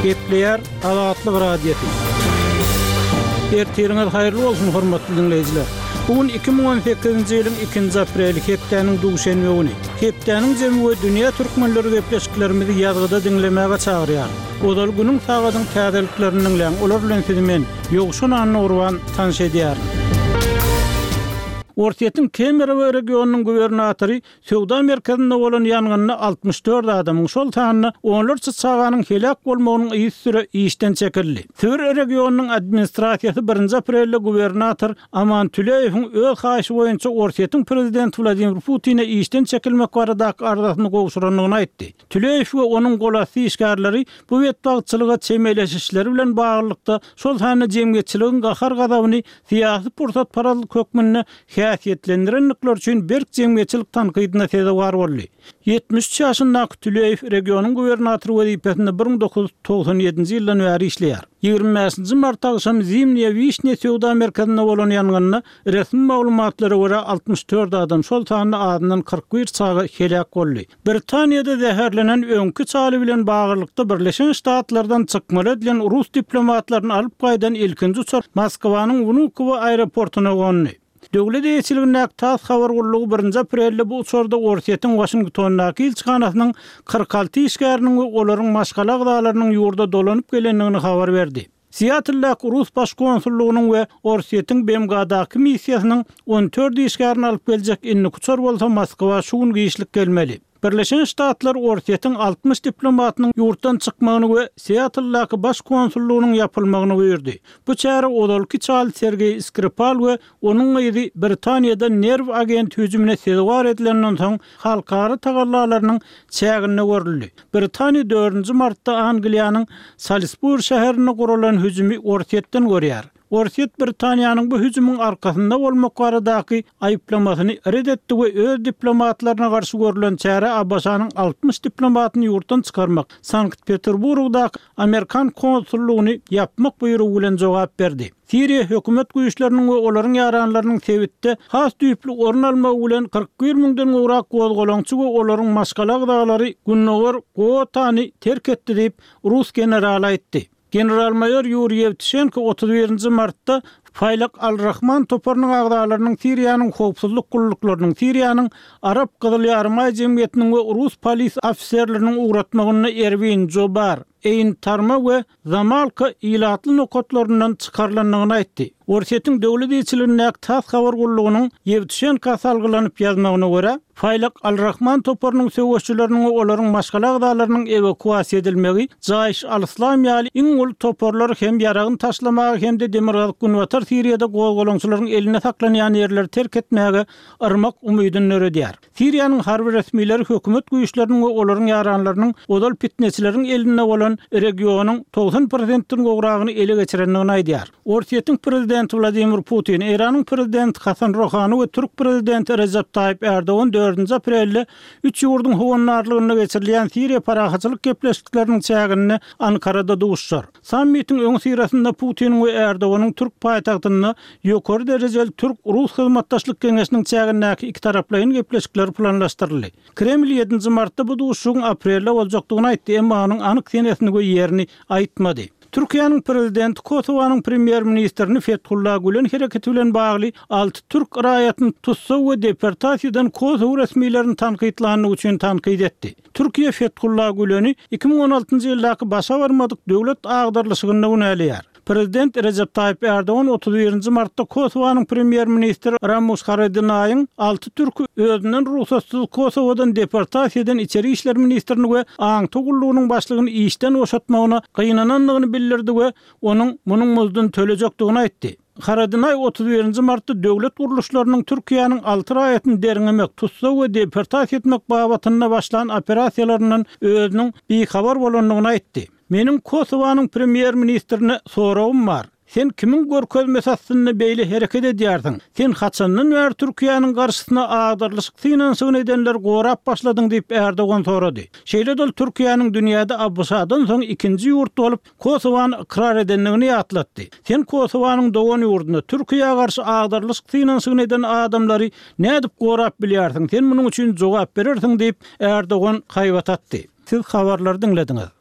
Gepleýär Azatlyk Radiosy. Ertiriňiz haýyrly bolsun, hormatly diňleýjiler! Bu gün 2018-nji ýylyň ikinji apreli, hepdäniň duşenbe güni. Hepdäniň jemi we dünýä türkmenleri gepleşiklerimizi ýazgyda diňlemäge çagyrýar. Ozal günüň sagadyň täzeliklerini diňläň, olar bilen sizi men, Ýowşan Annagurban, tanyş edýärin. Orsýetiň Kemerowo regionynyň gubernatory Söwda merkezinde bolan ýangynda 64 adamyň, şol sanda onlarça çaganyň heläk bolmagynyň yzysüre işden çekildi. Sibir regionynyň administrasiýasy birinji aprelde gubernator Aman Tüleýewiň öz haýyşy boýunça Orsýetiň prezidenti Wladimir Putine işden çekilmek baradaky arzasyny gowşurandygyny aýtdy. Tüleýew we onuň golasty işgärleri bu betbagtçylyga çemeleşişleri bilen baglylykda, şol sanda jemgyýetçiligiň gahar-gazabyny syýasy pursatparazlyk hökmünde häsiýetlendirendikleri üçin berk jemgyýetçilik tankydyna sezewar boldy. 73 ýaşyndaky Tüleýew regionyň gubernatory wezipesinde 1997-nji ýyldan bäri işleýär. 25-nji mart agşam Zimniýa Wişnýa söwda merkezinde bolan ýangynda resmi maglumatlara görä 64 adam, şol sanda azyndan 41 çaga heläk boldy. Britaniýada zäherlenen öňki çaly bilen baglylykda Birleşen Ştatlardan çykmaly edilen rus diplomatlaryny alyp gaýdan ilkinji uçar Moskwanyň Wnukowo aeroportuna gondy. Döwlet eýeçiligindäki tass habar gullugy birinji aprelde bu uçarda Orsýetiň Waşingtondaky ilçihanasynyň 46 işgäriniň we olaryň maşgala agzalarynyň ýurda dolanyp gelendigini habar berdi. Siatldaky rus baş konsullygynyň we Orsýetiň BMG-daky missiýasynyň 14 işgärini alyp geljek indiki uçar bolsa Moskwa şu gün giçlik gelmeli. Birleşen Ştatlar Orsýetiň 60 diplomatynyň ýurtdan çykmagyny we Siatldaky baş konsullygynyň ýapylmagyny buýurdy. Bu çäre ozalky çal Sergeý Skripal we Onuň gyzy Britaniýada nerw agenti hüjümine sezewar edilenden soň halkara tagallalarynyň çäginde görüldi. Britaniýa dördünji martda Angliýanyň Salisburi şäherinde guralan hüjümi Orsýetden görýär. Orsýet Britaniýanyň bu hüjümiň arkasynda bolmak baradaky aýyplamasyny ret etdi we öz diplomatlaryna garşy görlen çärä ABŞ-nyň 60 diplomatyny ýurtdan çykarmak, Sankt-Peterburgdaky amerikan konsullygyny ýapmak buýrugy bilen jogap berdi. Siriýa hökümet güýçleriniň we olaryň ýaranlarynyň sebitde has düýpli orun almagy bilen 41 müňden gowrak gozgalaňçy we olaryň maşgala agzalary Gündogar Gotany terk etdi diýip, rus generaly aýtdy. General-maýor Ýuriý Ýewtuşenko 31-nji martda Faýlak al-Rahman toparynyň agzalarynyň Siriýanyň howpsuzlyk gulluklarynyň, Siriýanyň Arap Gyzyl Ýarymaý jemgyýetiniň we rus polis ofiserleriniň ugratmagynda Erwin, Jobar, Eýn Tarma we Zamalka ilatly nokatlaryndan çykarylandygyny aýtdy. Orsýetiň döwlet ilçiligindäki tass habar gullugynyň Ýewtuşenka salgylanyp ýazmagyna görä, Faýlak al-Rahman toparynyň söweşçileriniň we olaryň maşgala agzalarynyň ewakuasiýa edilmegi Jaýş al-Yslam ýaly iň uly toparlary hem ýaragyny taşlamaga hem-de demirgazyk-günbatar Siriýada gozgalaňçylaryň elinde saklanýan ýerleri terk etmäge yrmak umydyny döredýär. Siriýanyň harby resmileri hökümet güýçleriniň we olaryň ýaranlarynyň ozal pitneçileriň elinde bolan regionyň 90 prosentden gowragyny ele geçirendigini aýdýar. Orsýetiň prezidenti Wladimir Putin, Eýranyň prezidenti Hasan Rohani we türk prezidenti Rejep Taýyp Ärdogan dördünji aprelde üç ýurduň howandarlygynda geçirilýän Siriýa parahatçylyk gepleşikleriniň çäginde Ankarada duşuşar. Sammitiň öňüsyrasynda Putiniň we Erdoganyň türk paýtagtynda ýokary derejeli türk-rus hyzmatdaşlyk geňeşiniň çägindäki ikitaraplaýyn gepleşikleri planlaşdyryldy. Kreml ýedinji martda bu duşuşygyň aprelde boljakdygyny aýtdy, emma onuň anyk senesini we ýerini aýtmady. Türkiýäniň prezidenti Kosowanyň premýer-ministrini Fethullah Gülen hereketi bilen bagly alty türk raýatyny tussag we deportasiýa eden kosow resmilerini tankytlandygy üçin tankyt etdi. Türkiýe Fethullah Güleni 2016-njy ýyldaky başa barmadyk döwlet agdarylyşygynda günäleýär. Prezident Rejep Taýyp Ärdogan 31-nji martda Kosowanyň premýer-ministri Ramuş Haradinaýyň alty türki özünden rugsatsyz Kosowadan deportasiýa eden içeri işler ministrini we aňtaw gullugynyň başlygyny işden boşatmagyna gynanandygyny bildirdi we onuň munuň muzduny tölejekdigini aýtdy. Haradinaý 31-nji martda döwlet gurluşlarynyň Türkiýäniň alty raýatyny derňemek, tussag we deportasiýa etmek babatynda başlan operasiýalaryndan özüniň bihabar bolandygyny aýtdy. Meniň Kosowanyň premýer-ministrine soragym bar. Sen kimiň görkezmesi astynda beýle hereket edýärsiň? Sen haçandan bäri Türkiýäniň garşysyna agdarylyşyk synanyşygyny edenleri gorap başladyň diýip Erdogan sorady. Şeýle-de ol Türkiýäniň dünýäde ABŞ-dan soň ikinji ýurt bolup, Kosowany ykrar edendigini ýatlatdy. Sen Kosowanyň dogan ýurduna, Türkiýä garşy agdarylyşyk synanyşygyny eden adamlary nädip gorap bilýärsiň, sen munuň üçin jogap berersiň diýip, Erdogan haýbat atdy. Siz habarlary diňlediňiz.